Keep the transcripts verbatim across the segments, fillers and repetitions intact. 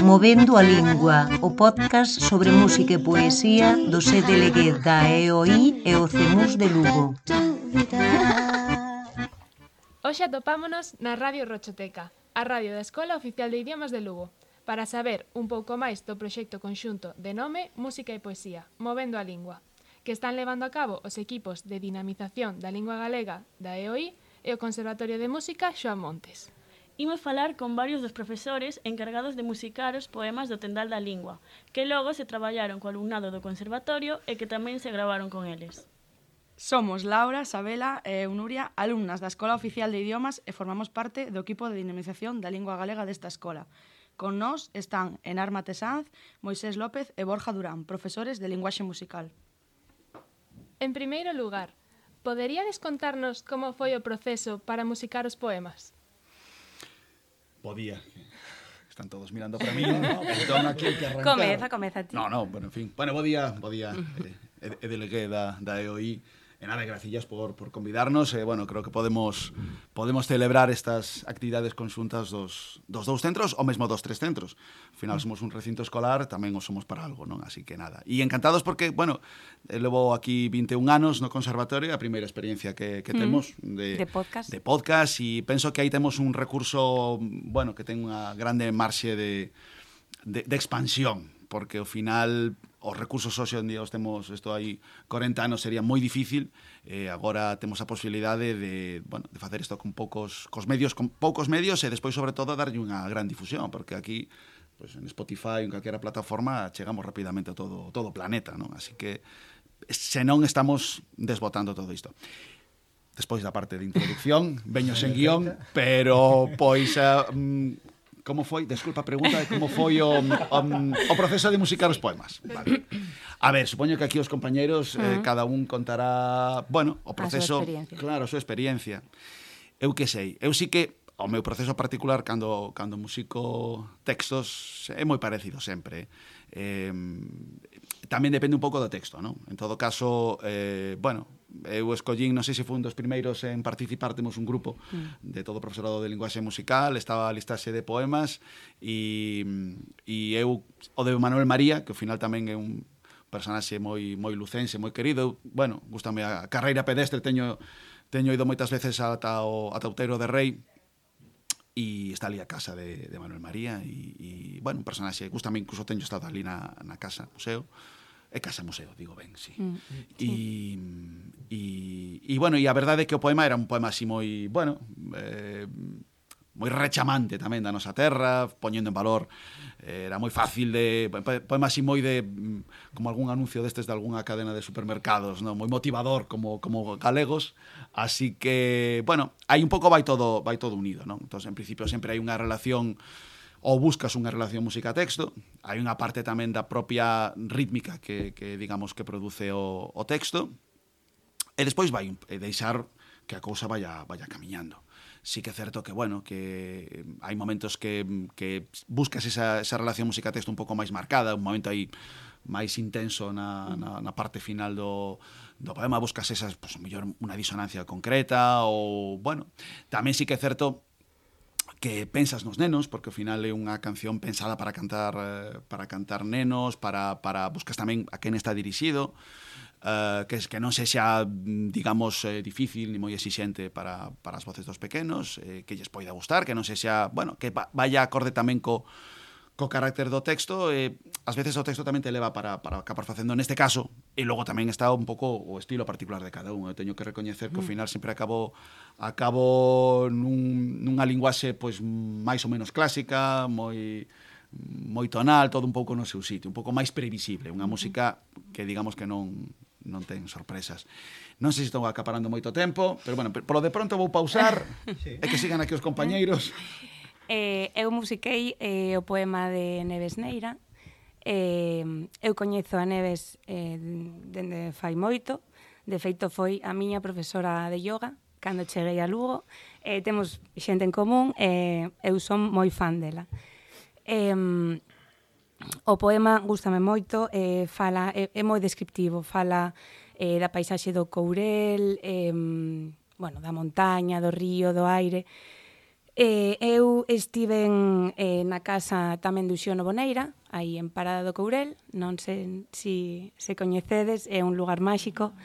Movendo a Lingua, o podcast sobre música e poesía do C D L G da E O I e o CEMUS de Lugo. Hoxe atopámonos na Radio Rochoteca, a radio da Escola Oficial de Idiomas de Lugo, para saber un pouco máis do proxecto conxunto de nome Música e Poesía, Movendo a Lingua, que están levando a cabo os equipos de dinamización da lingua galega da E O I e o Conservatorio de Música Xoán Montes. Imos falar con varios dos profesores encargados de musicar os poemas do Tendal da Lingua, que logo se traballaron co alumnado do conservatorio e que tamén se gravaron con eles. Somos Laura, Sabela e Eunuria, alumnas da Escola Oficial de Idiomas e formamos parte do equipo de dinamización da lingua galega desta escola. Con nós están Enar Matesanz, Moisés López e Borja Durán, profesores de linguaxe musical. En primeiro lugar, poderíades contarnos como foi o proceso para musicar os poemas? Podía. Están todos mirando para mí, ¿no? Entón, aquí hai que arrancar. Comeza, comeza ti. No, no, bueno, en fin. Bueno, bo día, bo día. Eh, e delegué da, da E O I. E nada, gracillas por, por convidarnos. E, bueno, creo que podemos podemos celebrar estas actividades conxuntas dos, dos dous centros, ou mesmo dos tres centros. Ao final somos un recinto escolar, tamén o somos para algo, non? Así que nada. E encantados porque, bueno, levo aquí vinte e un anos no conservatorio, a primeira experiencia que, que temos de, de podcast. De podcast, e penso que aí temos un recurso, bueno, que ten unha grande marxe de, de, de expansión, porque ao final os recursos hoxe en día os temos, isto aí corenta anos sería moi difícil, eh, agora temos a posibilidade de, bueno, de facer isto con poucos cos medios, con poucos medios e despois sobre todo darlle unha gran difusión, porque aquí pues, en Spotify, en calquera plataforma chegamos rapidamente a todo todo o planeta, non? Así que se non estamos desbotando todo isto. Despois da parte de introducción, veño sen guión, pero pois uh, como foi, desculpa a pregunta, de como foi o, o, o proceso de musicar os poemas. Vale. A ver, supoño que aquí os compañeiros, uh-huh. eh, cada un contará, bueno, o proceso, a claro, a súa experiencia. Eu que sei, eu sí que o meu proceso particular cando cando musico textos é moi parecido sempre. Eh, tamén depende un pouco do texto, non? En todo caso, eh, bueno, eu escollín, non sei se foi un dos primeiros en participar, temos un grupo de todo o profesorado de linguaxe musical, estaba a listaxe de poemas e, e eu o de Manuel María, que ao final tamén é un personaxe moi moi lucense, moi querido. Bueno, gústame a carreira pedestre, teño teño ido moitas veces ata o ata Outeiro de Rei e está ali a casa de, de Manuel María e, e bueno, un personaxe, gústame, incluso teño estado ali na, na casa museo. É casa museo, digo ben, sí. Mm, sí. E, e, e, bueno, e a verdade é que o poema era un poema así moi, bueno, eh, moi rechamante tamén da nosa terra, poñendo en valor, eh, era moi fácil de, poema así moi de, como algún anuncio destes de algunha cadena de supermercados, no? Moi motivador como, como galegos, así que, bueno, aí un pouco vai todo, vai todo unido, non? Entón, en principio, sempre hai unha relación ou buscas unha relación música-texto, hai unha parte tamén da propia rítmica que, que digamos, que produce o, o texto, e despois vai e deixar que a cousa vaya, vaya camiñando. Sí que é certo que, bueno, que hai momentos que, que buscas esa, esa relación música-texto un pouco máis marcada, un momento aí máis intenso na, na, na parte final do, do poema, buscas esas, pues, mellor unha disonancia concreta, ou, bueno, tamén sí que é certo que pensas nos nenos, porque ao final é unha canción pensada para cantar eh, para cantar nenos, para, para buscas tamén a quen está dirixido, eh, que, que non sexa, digamos, eh, difícil ni moi exixente para, para as voces dos pequenos, eh, que lles poida gustar, que non sexa, bueno, que vaya acorde tamén co, co carácter do texto, e ás veces o texto tamén te leva para, para acabar facendo neste caso, e logo tamén está un pouco o estilo particular de cada un. Eu teño que recoñecer que ao final sempre acabo acabo nun, nunha linguaxe pois máis ou menos clásica, moi moi tonal, todo un pouco no seu sitio, un pouco máis previsible, unha música que digamos que non non ten sorpresas. Non sei se estou acaparando moito tempo, pero bueno, polo de pronto vou pausar sí. E que sigan aquí os compañeiros. Eh, eu musiquei eh, o poema de Neves Neira. Eh, eu coñezo a Neves eh, dende fai moito. De feito, foi a miña profesora de yoga cando cheguei a Lugo. Eh, temos xente en común e eh, eu son moi fan dela. Eh, o poema gústame moito, eh, fala, é, é moi descriptivo, fala eh, da paisaxe do Courel, eh, bueno, da montaña, do río, do aire. Eh, eu estiven eh, na casa tamén de Uxío Novoneira, aí en Parada do Courel, non sei se si, se coñecedes, é un lugar máxico.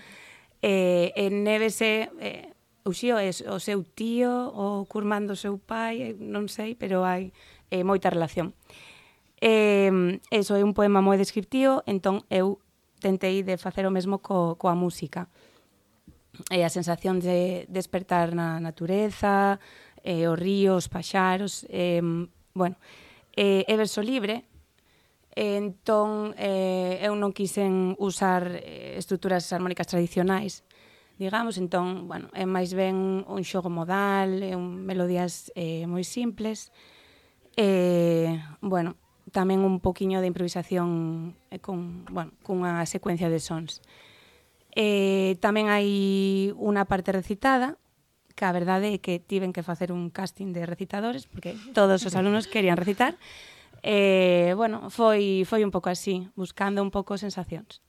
Eh, en Neves é, eh, Uxío é o seu tío, o curmán do seu pai, non sei, pero hai eh, moita relación. Eh, eso é un poema moi descriptivo, entón eu tentei de facer o mesmo co, coa música. E a sensación de despertar na natureza, eh, os ríos, os paxaros, eh, bueno, eh, é verso libre, eh, entón eh, eu non quixen usar eh, estruturas armónicas tradicionais, digamos, entón, bueno, é máis ben un xogo modal, é un melodías eh, moi simples, eh, bueno, tamén un poquiño de improvisación eh, con, bueno, cunha secuencia de sons. Eh, tamén hai unha parte recitada, que a verdade é que tiven que facer un casting de recitadores, porque todos os alumnos querían recitar. Eh, bueno, foi, foi un pouco así, buscando un pouco sensacións.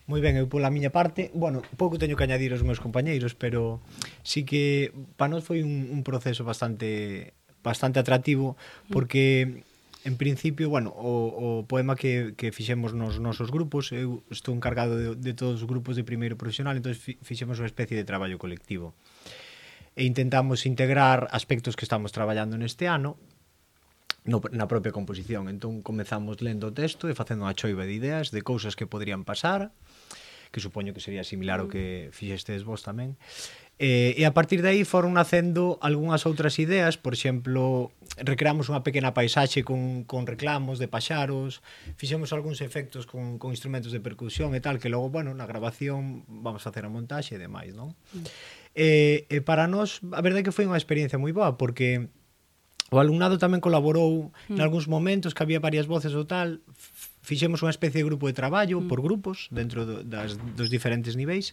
Moi ben, eu pola miña parte, bueno, pouco teño que añadir aos meus compañeiros, pero sí que para nós foi un, un proceso bastante bastante atractivo, porque en principio, bueno, o, o poema que, que fixemos nos nosos grupos, eu estou encargado de, de todos os grupos de primeiro profesional, entón fixemos unha especie de traballo colectivo. E intentamos integrar aspectos que estamos traballando neste ano no, na propia composición. Entón comezamos lendo o texto e facendo unha choiva de ideas de cousas que poderían pasar, que supoño que sería similar ao que fixestes vos tamén. E, e a partir de aí foron nacendo algunhas outras ideas, por exemplo, recreamos unha pequena paisaxe con, con reclamos de paxaros, fixemos algúns efectos con, con instrumentos de percusión e tal, que logo, bueno, na grabación vamos a facer a montaxe e demais, non? Mm. E, e para nós, a verdade é que foi unha experiencia moi boa, porque o alumnado tamén colaborou mm. nalgúns momentos que había varias voces ou tal, fixemos unha especie de grupo de traballo mm. por grupos dentro do, das, dos diferentes niveis,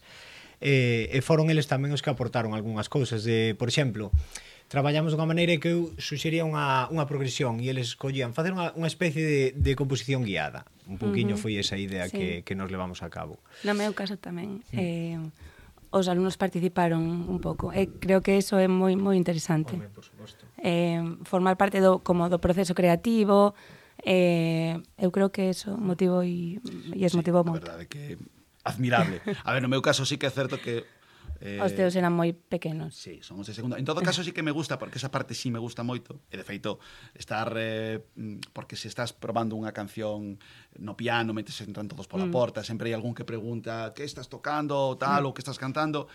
e, e foron eles tamén os que aportaron algunhas cousas. De, por exemplo, traballamos dunha maneira que eu suxería unha, unha progresión e eles collían facer unha, unha especie de, de composición guiada. Un pouquiño uh -huh. foi esa idea sí. que, que nos levamos a cabo. No meu caso tamén. Mm. Eh, os alumnos participaron un pouco. E creo que eso é moi moi interesante. Home, por suposto. Eh, formar parte do, como do proceso creativo. Eh, eu creo que eso motivou e, e es sí, motivou moito. A verdade que admirable. A ver, no meu caso sí que é certo que Eh, os teus eran moi pequenos. Sí, son os de segunda. En todo caso sí que me gusta, porque esa parte sí me gusta moito. E de feito, estar eh, porque se estás probando unha canción no piano, metes entran todos pola mm. porta, sempre hai algún que pregunta que estás tocando, tal, mm. ou que estás cantando.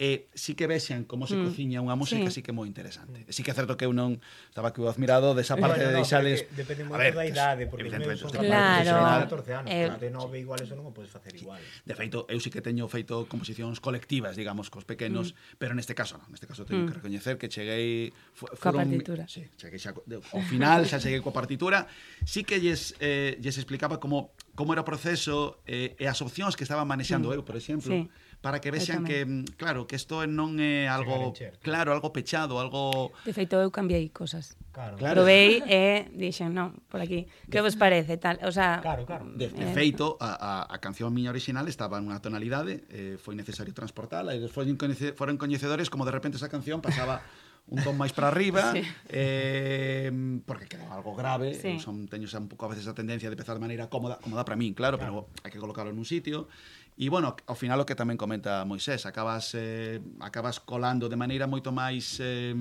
E sí que vexan como se mm. cociña unha música, sí. sí que é moi interesante. E sí que é certo que eu non estaba que admirado desa parte bueno, de deixales... No, depende moito da idade, porque os meus son claro. catorce anos, eh, de nove igual eso non o podes facer igual. De feito, eu sí que teño feito composicións colectivas, digamos, cos pequenos, mm. pero neste caso non, neste caso teño mm. que recoñecer que cheguei... Coa partitura. Sí, cheguei xa, ao final xa cheguei coa partitura, sí que lles, eh, lles explicaba como, como era o proceso eh, e as opcións que estaba manexando mm. eu, por exemplo, sí. para que vexan que, claro, que isto non é algo, claro, algo pechado, algo... De feito, eu cambiei cosas. Claro. Provei e dixen, non, por aquí, que vos parece, tal, o sea... Claro, claro. De, de eh, feito, a, a, a canción miña original estaba nunha tonalidade, eh, foi necesario transportala, e foron, coñece, foron coñecedores como de repente esa canción pasaba un ton máis para arriba, sí. eh, porque quedaba algo grave, sí. son, teño xa un pouco a veces a tendencia de empezar de maneira cómoda, cómoda para min, claro, claro, pero hai que colocarlo nun sitio. E, bueno, ao final o que tamén comenta Moisés, acabas, eh, acabas colando de maneira moito máis, eh,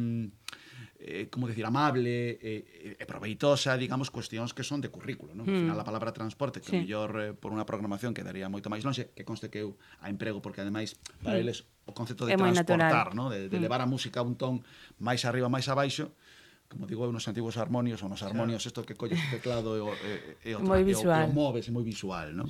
eh, como decir, amable e eh, proveitosa, digamos, cuestións que son de currículo, non? Mm. Ao final a palabra transporte, que sí. mellor eh, por unha programación quedaría moito máis longe, que conste que eu a emprego, porque ademais, para mm. eles, o concepto de é transportar, ¿no? de, de mm. levar a música a un ton máis arriba, máis abaixo, como digo eu nos antigos armonios, ou nos armonios, isto que colles o teclado e o, e, e o, moi visual. E o, e o moves, é moi visual, non?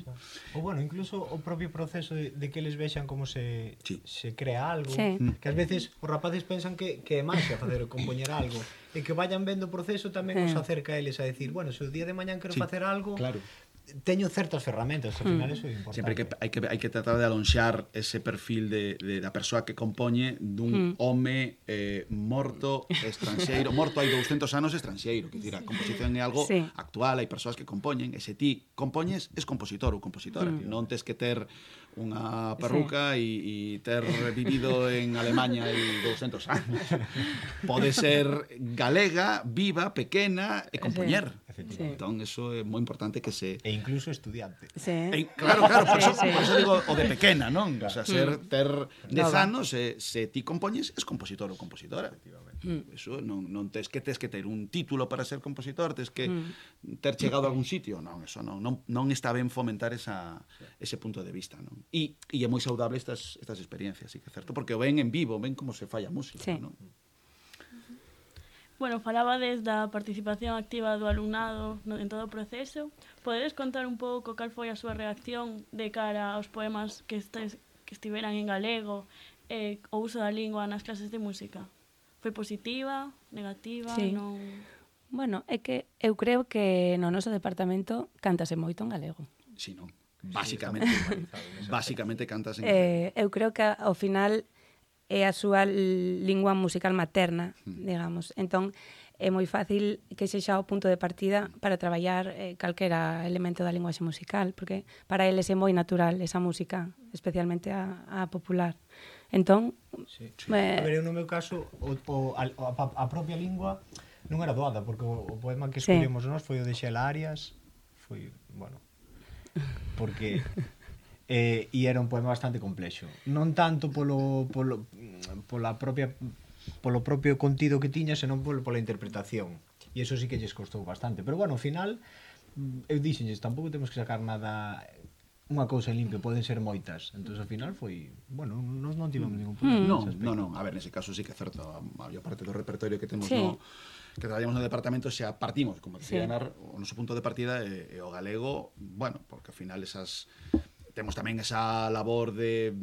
Ou bueno, incluso o propio proceso de, de que eles vexan como se, sí. se crea algo, sí. que ás veces os rapaces pensan que, que é máxia facer compoñer algo, e que vayan vendo o proceso tamén sí. os acerca a eles a decir, bueno, se o día de mañán quero sí. facer algo, claro. teño certas ferramentas, ao final eso é importante. Sempre que hai que hai que tratar de alonxar ese perfil de, de da persoa que compoñe dun mm. home eh, morto estranxeiro, morto hai douscentos anos estranxeiro, que dicir, a composición é algo sí. actual, hai persoas que compoñen, e se ti compoñes, es compositor ou compositora, mm. non tes que ter unha perruca sí. e, e ter vivido en Alemanha hai douscentos anos. Pode ser galega, viva, pequena e compoñer. Sí. Entón, eso é moi importante que se... E incluso estudiante. Sí. E, claro, claro, por eso, sí, sí. por eso digo o de pequena, non? O sea, ser, ter dez anos, se, se ti compoñes, es compositor ou compositora. Mm. Eso non, non tes que tes que ter un título para ser compositor, tes que mm. ter chegado a algún sitio. Non, eso non, non, non está ben fomentar esa, ese punto de vista, non? E, e é moi saudable estas, estas experiencias, sí que é certo, porque o ven en vivo, ven como se falla a música, sí. non? Bueno, falabades da participación activa do alumnado en todo o proceso. Podedes contar un pouco cal foi a súa reacción de cara aos poemas que, estes, que estiveran en galego e o uso da lingua nas clases de música? Foi positiva, negativa? Sí. Non... Bueno, é que eu creo que no noso departamento cántase moito en galego. Sí, non? Básicamente, básicamente cantas en galego. Eh, eu creo que ao final é a súa lingua musical materna, mm. digamos. Entón, é moi fácil que sexa o punto de partida para traballar eh, calquera elemento da linguaxe musical, porque para eles é moi natural esa música, especialmente a, a popular. Entón... Sí. Eh... A ver, eu no meu caso, o, o, a, a propia lingua non era doada, porque o, o poema que escollemos sí. nós foi o de Xela Arias, foi, bueno, porque... Eh, e era un poema bastante complexo. Non tanto polo, polo, pola propia, polo propio contido que tiña, senón polo, pola interpretación. E iso sí que lles costou bastante. Pero, bueno, ao final, eu dixenlles, tampouco temos que sacar nada... Unha cousa en limpio, poden ser moitas. Entón, ao final, foi... Bueno, non, non tivemos ningún problema. Non, non, non. A ver, nese caso sí que é certo. A maior parte do repertorio que temos sí. no... que traballamos no departamento xa partimos, como decía sí. Anar, o noso punto de partida é, é o galego, bueno, porque ao final esas... Temos tamén esa labor de,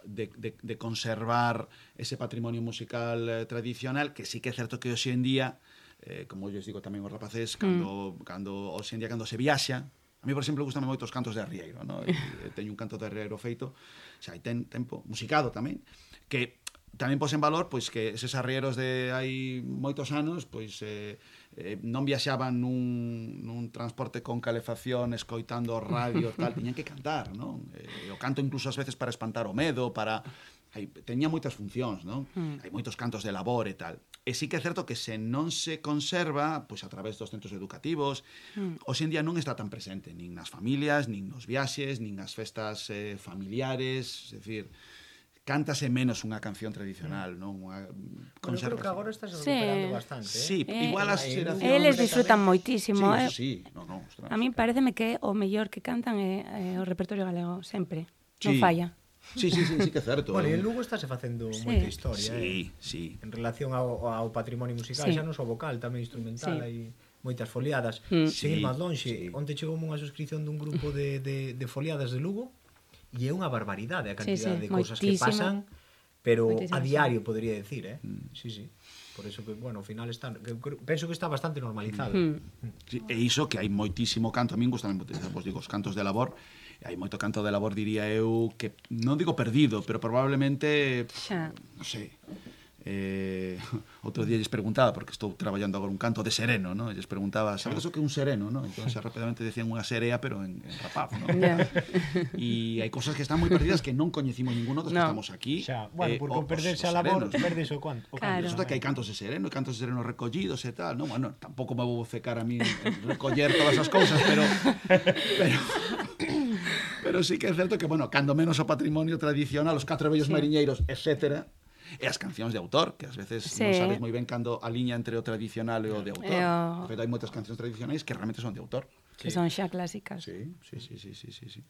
de, de, de conservar ese patrimonio musical eh, tradicional, que sí que é certo que hoxe en día, eh, como eu digo tamén os rapaces, cando, mm. cando, hoxe en día cando se viaxa, a mí, por exemplo, gustame moito os cantos de arrieiro, ¿no? E, e teño un canto de arrieiro feito, xa hai ten, tempo, musicado tamén, que tamén pos en valor pois que eses arrieros de hai moitos anos pois eh, eh, non viaxaban nun, nun transporte con calefacción escoitando radio tal, tiñan que cantar, non? Eh, o canto incluso ás veces para espantar o medo, para hai, teña moitas funcións, non? Mm. Hai moitos cantos de labor e tal. E sí que é certo que se non se conserva pois a través dos centros educativos, mm. hoxe en día non está tan presente nin nas familias, nin nos viaxes, nin nas festas eh, familiares, é dicir, cántase menos unha canción tradicional, non? Unha conservación. Pero creo que agora estás recuperando sí. bastante, eh? Sí, eh, igual as xeracións... Eles disfrutan moitísimo, sí, eh? Sí, no, no, ostras. A mí pareceme que o mellor que cantan é, é o repertorio galego, sempre. Sí. Non falla. Sí, sí, sí, sí que é certo. Bueno, e en Lugo estáse facendo sí. moita historia, sí, eh? Sí, en relación ao, ao patrimonio musical, sí. xa non só vocal, tamén instrumental, sí. hai moitas foliadas. Mm. Seguir sí, máis lonxe, sí. onte chegou unha suscripción dun grupo de, de, de foliadas de Lugo e é unha barbaridade a cantidad sí, sí. de cousas que pasan, pero moitísima. A diario, podría decir, eh? Mm. Sí, sí. Por eso que, bueno, ao final está, que, penso que está bastante normalizado. Mm. Sí, e iso que hai moitísimo canto, a min gustan, vos digo, os cantos de labor, hai moito canto de labor, diría eu, que non digo perdido, pero probablemente, xa. Non sei, eh, outro día lles preguntaba, porque estou traballando agora un canto de sereno, ¿no? E lles preguntaba, sabes o que é un sereno, ¿no? Entón, rapidamente decían unha serea, pero en, en rapaz, ¿no? Yeah. E hai cosas que están moi perdidas que non coñecimos ninguno dos no. que estamos aquí. Xa, bueno, eh, porque perderse a labor, perdes o canto. Claro. Resulta que hai cantos de sereno e cantos de sereno recollidos e tal, ¿no? Bueno, tampouco me vou cecar a mí en recoller todas as cousas, pero... pero pero sí que é certo que, bueno, cando menos o patrimonio tradicional, os catro vellos sí. mariñeiros, etcétera, e as cancións de autor, que ás veces sí. non sabes moi ben cando a liña entre o tradicional e o de autor. O... Pero hai moitas cancións tradicionais que realmente son de autor. Que sí. son xa clásicas. Sí, sí, sí, sí, sí, sí, sí.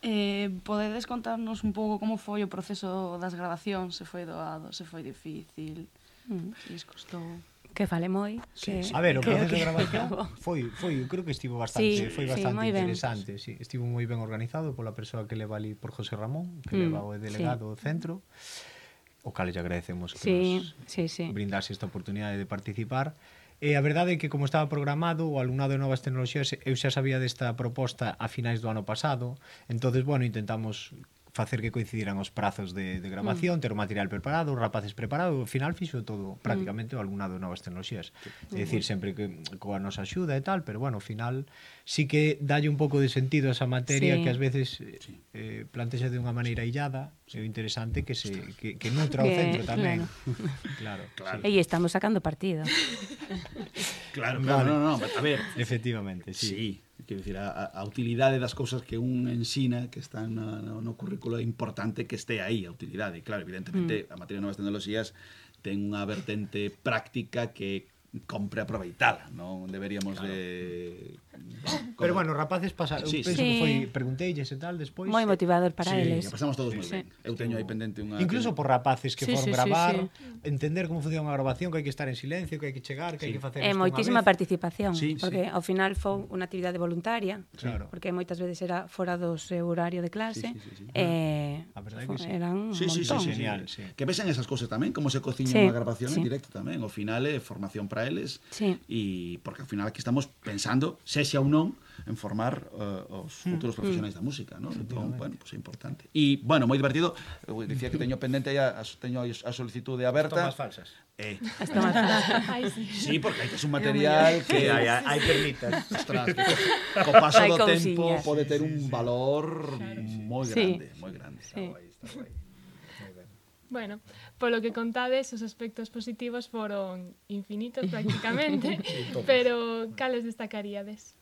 Eh, podedes contarnos un pouco como foi o proceso das grabacións? Se foi doado, se foi difícil, mm. se lles costou... Que fale moi. Sí, que, sí. A ver, o proceso de grabación foi, foi, creo que estivo bastante, sí, foi bastante sí, interesante, sí, estivo moi ben organizado pola persoa que leva ali por José Ramón, que mm, leva o delegado do sí. centro, o cal lle agradecemos que sí, nos sí, sí. brindase esta oportunidade de participar. E a verdade é que como estaba programado o alumnado de novas tecnoloxías, eu xa sabía desta proposta a finais do ano pasado, entonces, bueno, intentamos facer que coincidiran os prazos de, de grabación, mm. ter o material preparado, os rapaces preparados, ao final fixo todo prácticamente mm. o alumnado de novas tecnoloxías. É dicir, sempre que coa nosa axuda e tal, pero bueno, ao final sí que dalle un pouco de sentido a esa materia sí. que ás veces eh, plantexa de unha maneira illada, é interesante que se que, que nutra o centro tamén. Claro. claro. E estamos sacando partido. Claro, claro, vale. no, no, a ver. Efectivamente, sí. Sí. Quero dicir, a, a utilidade das cousas que un ensina que están no, no, no currículo é importante que este aí a utilidade. Claro, evidentemente, mm. a materia de novas tecnoloxías ten unha vertente práctica que compre aproveitala, non deberíamos claro. de... Bueno, pero bueno, rapaces pasaron, sí, penso sí. que foi pregunteilles e tal despois. Moi motivador para sí, eles. Sí, pasamos todos moi sí. ben. Eu teño aí pendente unha... Incluso por rapaces que sí, foron sí, gravar, sí, sí. entender como funciona unha grabación, que hai que estar en silencio, que hai que chegar, que sí. hai que facer isto. É moitísima participación, sí, porque sí. ao final foi unha actividade voluntaria, claro. porque moitas veces era fora do seu horario de clase, sí, sí, sí, sí. e a verdade que sí. eran un sí, sí, montón. Sí, sí, genial, sí. Que vesen esas cousas tamén, como se cociña sí, unha grabación sí. en directo tamén. Ao final é formación para eles, sí. e porque ao final aquí estamos pensando, sexa ou non, en formar uh, os futuros mm. profesionais da música, ¿no? Entón, bueno, pues é importante. E, bueno, moi divertido, eu dicía que teño pendente aí a, teño a solicitude aberta. As tomas falsas. Eh. As tomas falsas. Ay, sí. Sí, porque hai que ser un material que... hai, hai permitas. Ostras, que co paso Hai do cousiñas. tempo pode ter un valor Claro. moi Sí. grande, moi grande. Sí. Está guai, está guai. Moi ben. Bueno, polo que contades, os aspectos positivos foron infinitos prácticamente, pero cales destacaríades?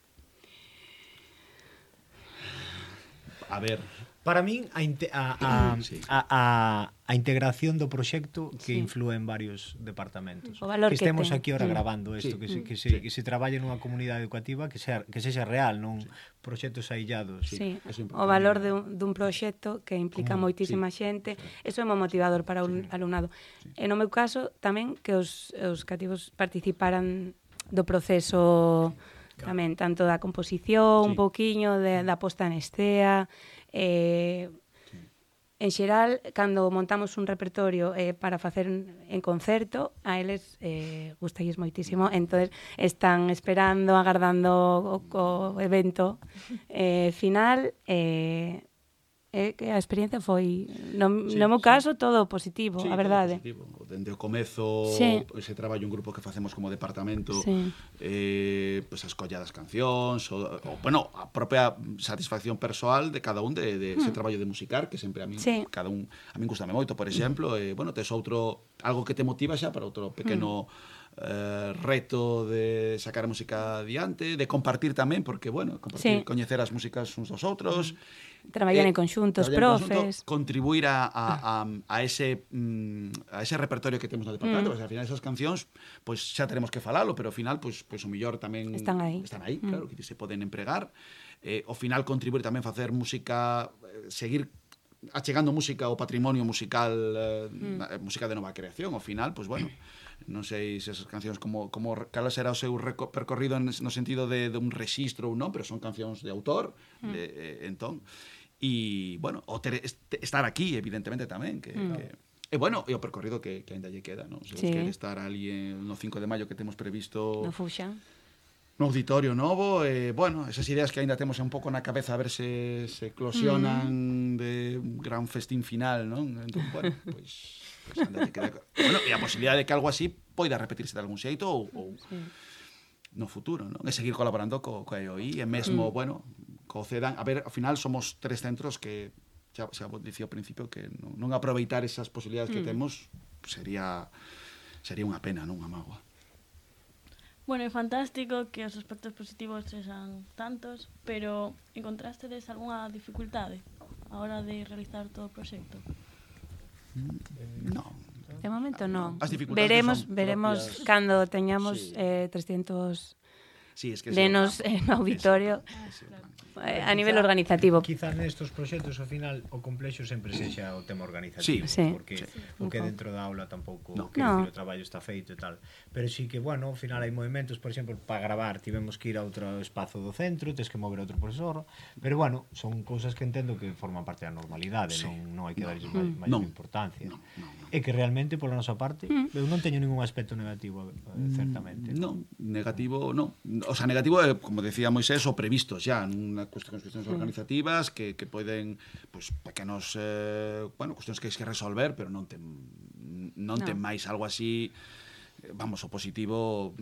A ver, Para min a, inte a, a, sí. a, a, a integración do proxecto que sí. inflúe en varios departamentos. O valor que que estemos ten. aquí ahora Mm. grabando isto, Sí. que se, que se, Sí. que se traballe nunha comunidade educativa que sexa, que sexa real, non sí. proxectos aillados. Sí, eso é importante. o valor de un, dun proxecto que implica Común, moitísima sí. xente, eso é moi motivador para un Sí. alumnado. Sí. E no meu caso, tamén que os, os cativos participaran do proceso Claro. tamén, tanto da composición, Sí. un pouquiño de, da posta en escena, eh, en xeral, cando montamos un repertorio eh, para facer en concerto, a eles eh, gustalles moitísimo, entonces están esperando, agardando o, o evento eh, final, eh, eh, que a experiencia foi, no, Sí, no meu sí. caso, todo positivo, sí, a todo verdade. positivo. Dende o comezo, Sí. ese traballo en grupo que facemos como departamento, Sí. eh, pues a escolla das cancións, o, o, bueno, a propia satisfacción persoal de cada un de, de ese traballo de musicar, que sempre a min, Sí. cada un, a min gustame moito, por exemplo, eh, bueno, tes outro, algo que te motiva xa para outro pequeno eh, reto de sacar a música adiante, de compartir tamén, porque, bueno, compartir, Sí. coñecer as músicas uns dos outros, Traballar Eh, en conxunto, os traballar en profes. conjunto, contribuir a, a, a, a ese mm, a ese repertorio que temos no departamento, mm. porque ao final esas cancións, pois pues, xa teremos que falalo, pero ao final pois pues, pues, o mellor tamén Están aí. están aí, Mm. claro, que se poden empregar. Eh, ao final contribuir tamén facer música, eh, seguir achegando música ao patrimonio musical, eh, mm. música de nova creación, ao final, pois pues, bueno, non sei se esas cancións como, como cal será o seu percorrido no sentido de, de un rexistro ou non, pero son cancións de autor, mm. de, eh, entón, e, bueno, o ter, est, estar aquí, evidentemente, tamén, que, mm. que e, bueno, e o percorrido que, que ainda lle queda, non? Se sí. quere estar ali en, no cinco de maio que temos previsto No Fuxan. no auditorio novo, e, bueno, esas ideas que ainda temos un pouco na cabeza a ver se, se eclosionan mm. de un gran festín final, non? Entón, bueno, pois... Pues, pues, queda... Bueno, e a posibilidade de que algo así poida repetirse de algún xeito ou, ou sí. no futuro, non? E seguir colaborando co, co E O I, e mesmo, mm. bueno, co CEDAN. A ver, ao final somos tres centros que xa, xa dicía ao principio que non, non aproveitar esas posibilidades mm. que temos sería sería unha pena, non unha mágoa. Bueno, é fantástico que os aspectos positivos sexan tantos, pero encontrastedes algunha dificultade a hora de realizar todo o proxecto? No. De momento non. As dificultades Veremos, son veremos propias... cando teñamos Sí. eh, trescentos Sí, es que nenos en auditorio. Ese, ese, Eh, a nivel organizativo. Quizás nestos proxectos ao final o complexo sempre sexa o tema organizativo, Sí. porque Sí. o que dentro da aula tampouco, No. quero No. dicir, o traballo está feito e tal. Pero sí que, bueno, ao final hai movimentos, por exemplo, para gravar tivemos que ir a outro espazo do centro, tes que mover outro profesor, pero bueno, son cousas que entendo que forman parte da normalidade, Sí. non, non hai que No. darlles máis, máis Non. importancia. No, no, no. E que realmente, pola nosa parte, mm. eu non teño ningún aspecto negativo, certamente. Non, negativo, non. O sea, negativo é, como decía Moisés, o previsto xa, nunha cuestión, cuestións organizativas que, que poden, pues, pequenos, eh, bueno, cuestións que hai que resolver, pero non ten, non ten máis algo así, vamos, o positivo...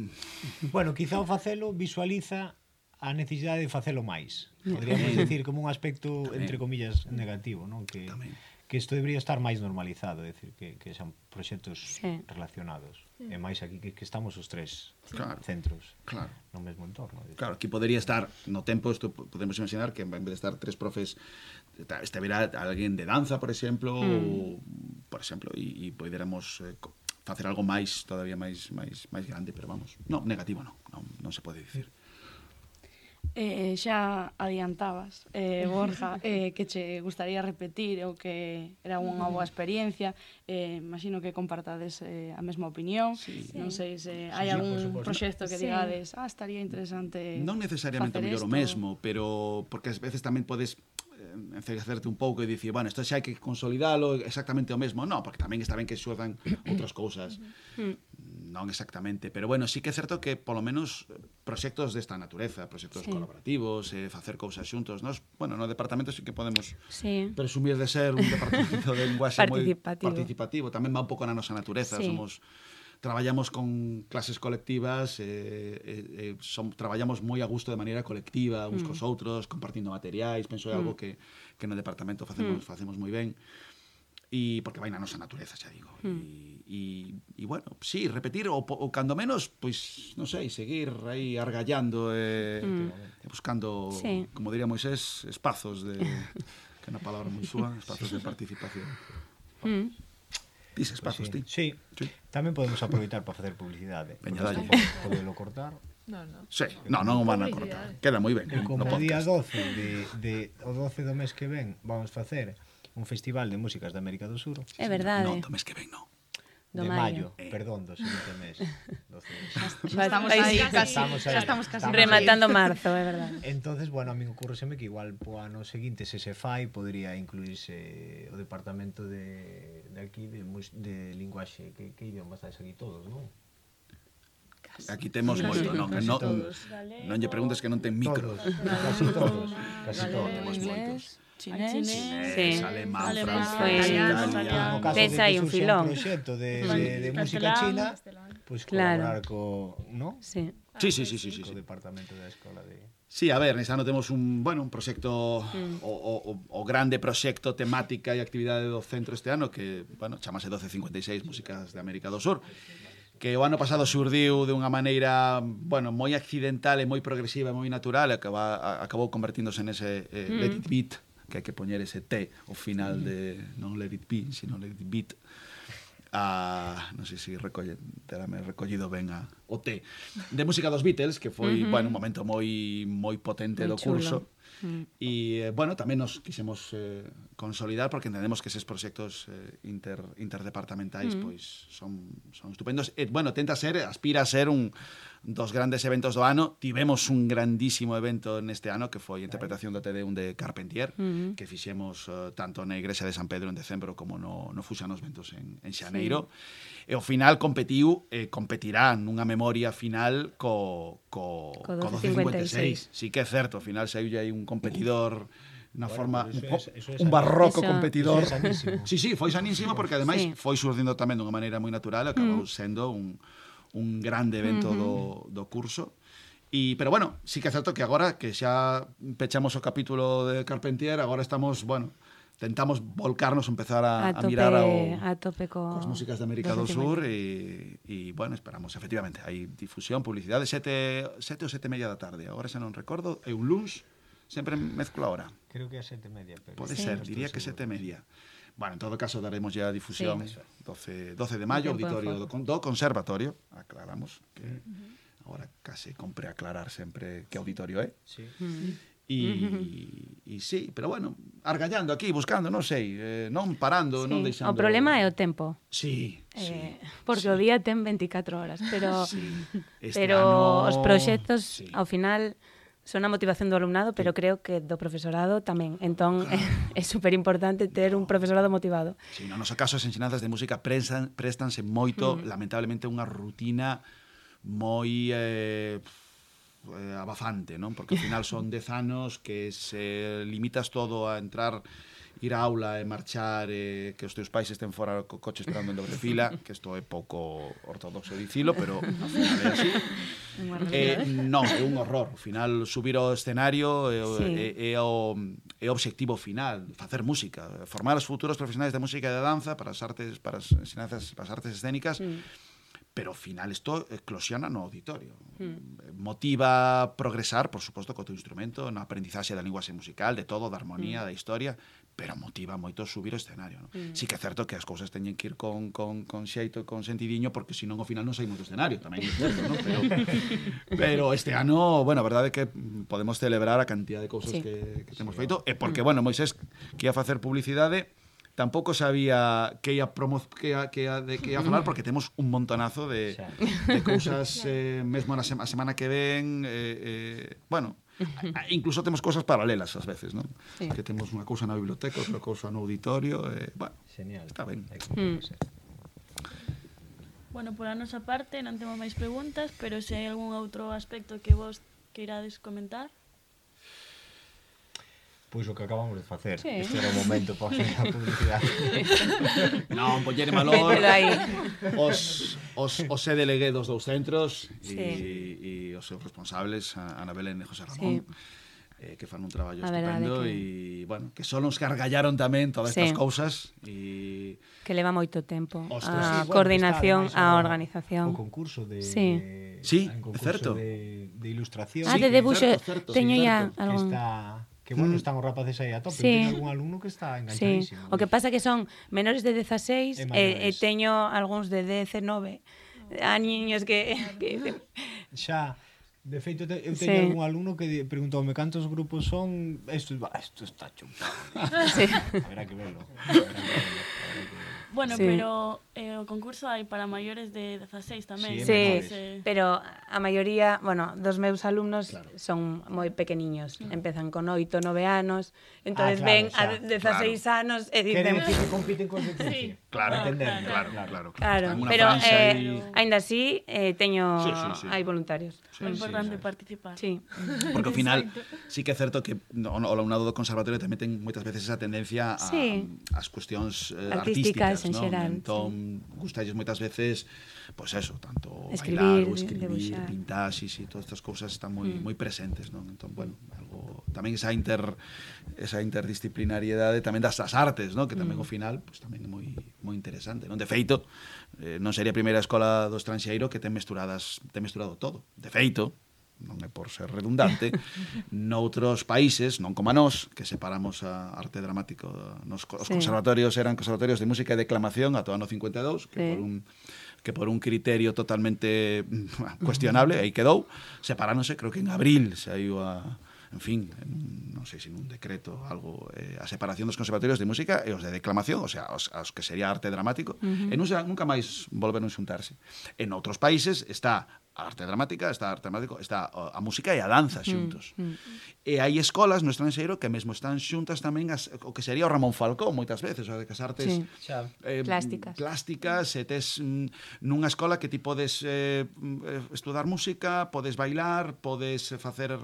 Bueno, quizá o facelo visualiza a necesidade de facelo máis. Podríamos decir como un aspecto, tamén, entre comillas, negativo, non? Que... Tamén. Que isto debería estar máis normalizado, é dicir, que, que son proxectos sí. relacionados. Mm. E máis aquí que, que estamos os tres claro. centros claro. no mesmo entorno. Claro, aquí podería estar, no tempo, isto podemos imaginar que en vez de estar tres profes, estivera alguén de danza, por exemplo, mm. ou, por exemplo, e, e poderamos eh, facer algo máis, todavía máis, máis, máis grande, pero vamos, non, negativo non, non, non se pode dicir. Eh, xa adiantabas, eh, Borja, eh, que che gustaría repetir ou que era unha boa experiencia, eh, imagino que compartades eh, a mesma opinión, sí. non sei se hai sí, algún proxecto que sí. digades, ah, estaría interesante non necesariamente mellor o mesmo, pero porque ás veces tamén podes encercerte un pouco e dicir, bueno, isto xa hai que consolidalo exactamente o mesmo, non, porque tamén está ben que suedan outras cousas, non exactamente, pero bueno, sí que é certo que polo menos proxectos desta natureza, proxectos sí. colaborativos, eh, facer cousas xuntos, nos, bueno, no departamento sí que podemos sí. presumir de ser un departamento de linguaxe moi participativo, tamén va un pouco na nosa natureza, sí. somos traballamos con clases colectivas, eh, eh, son, traballamos moi a gusto de maneira colectiva, uns mm. cos outros, compartindo materiais, penso é algo mm. que, que no departamento facemos, mm. facemos moi ben, e porque vai na nosa natureza, xa digo. Mm. E, e, e, bueno, sí, repetir, ou, ou cando menos, pois, non sei, seguir aí argallando e mm. buscando, sí. como diría Moisés, espazos de, que é unha palabra moi súa, espazos de participación. Mm. Dices espazos, pues sí. ti? Sí. sí. Tamén podemos aproveitar para facer publicidade. Veña, dalle. Podelo cortar. No, no. Sí, no, non o van a cortar. Queda moi ben. E como no día doce de, de, o doce do mes que ven vamos facer un festival de músicas de América do Sur. É verdade. Non, do mes que ven, non. De maio, eh. perdón, do seguinte mes. Xa estamos aí, casi, estamos aí. Xa estamos casi rematando marzo, é verdade. Entonces, bueno, a mí ocurreseme que igual po ano seguinte, se se fai, podría incluirse o departamento de, de aquí de, de linguaxe, que, que idioma estáis aquí todos, non? Aquí temos sí, moito, non, non, non lle preguntes que non ten micro. Todos, casi todos, casi todos, temos moitos. Chinés, sí. alemán, alemán, francés, italiano. No caso de que un surxa filón. un proxecto de, de, de música china, pois pues colaborar claro. co, ¿no? Sí. Sí, sí, sí, sí, sí, co sí. departamento da escola de... Sí, a ver, nesta ano temos un, bueno, un proxecto, mm. o, o, o grande proxecto temática e actividade do centro este ano que, bueno, chamase doce cincuenta e seis Músicas de América do Sur, que o ano pasado xurdiu de unha maneira, bueno, moi accidental e moi progresiva e moi natural, e acaba, acabou convertíndose nese eh, mm. Let It Beat, que hai que poñer ese T ao final de non Let It Be, sino Let It Beat. Ah, non sei se recolle, terame recollido ben a, o T de música dos Beatles, que foi, uh -huh. bueno, un momento moi moi potente muy do curso. E, mm. bueno, tamén nos quisemos eh, consolidar porque entendemos que eses proxectos eh, inter, interdepartamentais mm. pois son, son estupendos. E, bueno, tenta ser, aspira a ser un dos grandes eventos do ano. Tivemos un grandísimo evento neste ano que foi a interpretación do Te Deum de Carpentier, mm. que fixemos uh, tanto na Igrexa de San Pedro en decembro como no, no Fuxan os Ventos en, en Xaneiro. Sí. E ao final competiu, eh, competirá nunha memoria final co, co, co doce cincuenta e seis. Sí que é certo, ao final saiu aí un competidor na bueno, forma un, es, es un barroco eso, competidor. Eso sí, sí, foi sanísimo porque ademais sí. foi surdindo tamén dunha maneira moi natural, acabou mm. sendo un un grande evento uh -huh. do, do curso. E, pero bueno, sí que é certo que agora que xa pechamos o capítulo de Carpentier, agora estamos, bueno, tentamos volcarnos, empezar a, a, tope, a mirar ao, a tope co... cos músicas de América do Sur e, e, bueno, esperamos, efectivamente, hai difusión, publicidade, sete, sete ou sete e media da tarde, agora xa non recordo, é un luns, sempre mezclo a hora. Creo que é sete e media. Pero pode sí. ser, diría que sete e media. Bueno, en todo caso daremos ya difusión sí. doce, doce de maio, auditorio do, do Conservatorio, aclaramos que uh -huh. ahora case compre aclarar sempre que auditorio é. Sí. Uh -huh. E, uh -huh. e sí, pero bueno, argallando aquí, buscando, non sei, eh, non parando, sí. non deixando... O problema é o tempo. Sí, eh, sí. Porque sí. o día ten veinticuatro horas, pero sí. pero ano... os proxectos sí. ao final son a motivación do alumnado, pero creo que do profesorado tamén. Entón, claro. é, é super importante ter un profesorado motivado. Si, no noso caso, as ensinanzas de música prestan, prestanse moito, mm. lamentablemente, unha rutina moi eh, eh, abafante, non? Porque ao final son dez anos que se limitas todo a entrar, ir á aula e marchar, eh, que os teus pais estén fora co coche esperando en doble fila, que isto é pouco ortodoxo dicilo, pero ao final é así. Eh, non, é un horror. Ao final, subir ao escenario é, sí. é, é, o, é o obxectivo final, facer música, formar os futuros profesionais de música e de danza para as artes, para as ensinanzas, para as artes escénicas, mm. pero ao final isto eclosiona no auditorio. Mm. Motiva progresar, por suposto, co teu instrumento, na aprendizaxe da linguaxe musical, de todo, da armonía, mm. da historia, pero motiva moito subir o escenario. No? Mm. Sí que é certo que as cousas teñen que ir con, con, con xeito e con sentidiño, porque senón ao final non saímos do escenario, tamén é certo, no? pero, pero este ano, bueno, a verdade é que podemos celebrar a cantidad de cousas sí. que, que temos feito, e porque, mm. bueno, Moisés que ia facer publicidade, tampouco sabía que ia promo que ia, que ia, de, que ia falar, porque temos un montonazo de, de cousas eh, mesmo na se a semana que ven, eh, eh, bueno, incluso temos cousas paralelas ás veces, non? Sí. Que temos unha cousa na biblioteca, outra cousa no auditorio, eh, bueno, genial. Está ben. Mm. Bueno, por a nosa parte non temos máis preguntas, pero se hai algún outro aspecto que vos queirades comentar. Pois o que acabamos de facer. Sí. Este era o momento para facer a publicidade. Non, poñer en valor os, os, os E D L G dos dous centros sí. e, e os seus responsables, Ana Belén e José Ramón, sí. eh, que fan un traballo estupendo e, que... bueno, que son os que argallaron tamén todas estas sí. cousas e... Que leva moito tempo Ostras, a sí, coordinación, bueno, a organización. O concurso de... Sí, de, sí é certo. De, de ilustración. Ah, de debuxo, teño ya algún... Está... Que, bueno, están os rapaces aí a tope. Sí. Teño algún alumno que está enganchadísimo. Sí. O que pasa que son menores de dezaseis e, e, e teño algúns de dezenove a niños que... que... Xa, de feito, te, eu teño sí. algún alumno que preguntoume cantos grupos son... Isto, isto está chupado. Sí. Haberá que verlo. Haberá que verlo. Bueno, sí. pero eh, o concurso hai para maiores de dezaseis tamén. Sí, sí, pero a maioría, bueno, dos meus alumnos claro. son moi pequeniños. Mm. Empezan con oito, nove anos, entonces ah, claro, ven xa. a dezaseis claro. anos e dicen... Queren que compiten con licencia. Sí. Claro, entender. Claro, claro, claro. claro. claro. Pero, eh, aínda así, eh, teño... Sí, sí, sí. Hai voluntarios. Sí, é importante sí, sí. participar. Sí. Porque ao final, sí que é certo que no, o alumnado do conservatorio tamén ten moitas veces esa tendencia a, sí. ás cuestións eh, artísticas, en ¿no? xeral. Entón, sí. gustalles moitas veces, pois pues eso, tanto escribir, bailar ou escribir, pintar, sí, sí, todas estas cousas están moi mm. moi presentes, non? Entón, bueno, algo tamén esa inter esa interdisciplinariedade tamén das as artes, non? Que tamén mm. ao final, pois pues, tamén é moi moi interesante, non? De feito, eh, non sería a primeira escola do estranxeiro que ten mesturadas, ten mesturado todo. De feito, non é por ser redundante, noutros países, non como a nós, que separamos a arte dramático, nos, os sí. conservatorios eran conservatorios de música e declamación ata o ano cincuenta e dous, que sí. por un que por un criterio totalmente cuestionable, aí quedou, separándose, creo que en abril saiu a en fin, en, non sei se nun decreto algo, eh, a separación dos conservatorios de música e os de declamación, o sea, os, os que sería arte dramático, uh-huh. e non, nunca máis volveron xuntarse. En outros países está a arte dramática, está a arte dramático, está a música e a danza xuntos. Mm, mm. E hai escolas no estranxeiro que mesmo están xuntas tamén as, o que sería o Ramón Falcón moitas veces, o de que as artes sí. eh, plásticas. plásticas, e tes mm, nunha escola que ti podes eh, estudar música, podes bailar, podes facer...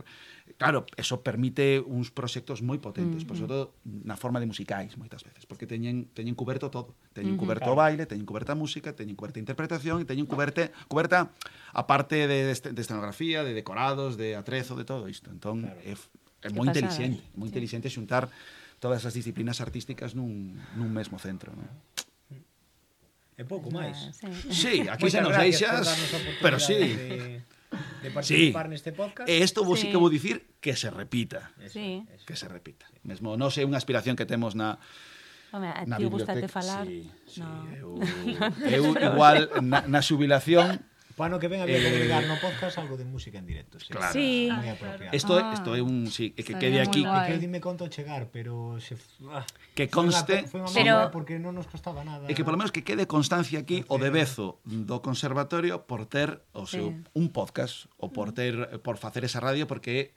Claro, eso permite uns proxectos moi potentes, mm, por sobre todo na forma de musicais moitas veces, porque teñen teñen cuberto todo. Teñen cuberto o baile, teñen cuberta a música, teñen cuberta a interpretación e teñen cuberte, cuberta a parte de, de escenografía, de decorados, de atrezo, de todo isto. Entón, claro. é, é moi inteligente, moi sí. inteligente xuntar todas as disciplinas artísticas nun, nun mesmo centro, non? É pouco máis. Sí, sí aquí xa nos deixas, pero sí. De... de participar sí. neste podcast. E isto vos sí. sí que vou dicir que se repita. Sí. Que se repita. Mesmo non sei unha aspiración que temos na Home, a ti gustate falar. Sí, sí, no. eu, eu igual na, na xubilación Pano que ven había que agregar no podcast algo de música en directo. Sí, claro. Sí. Moi apropiado. Isto é, isto é un, sí, que quede aquí, que dime conto chegar, pero se ah, que conste, foi unha pero porque non nos costaba nada. E que polo menos que quede constancia aquí o de Bezo do conservatorio por ter o seu sí. un podcast ou por ter por facer esa radio, porque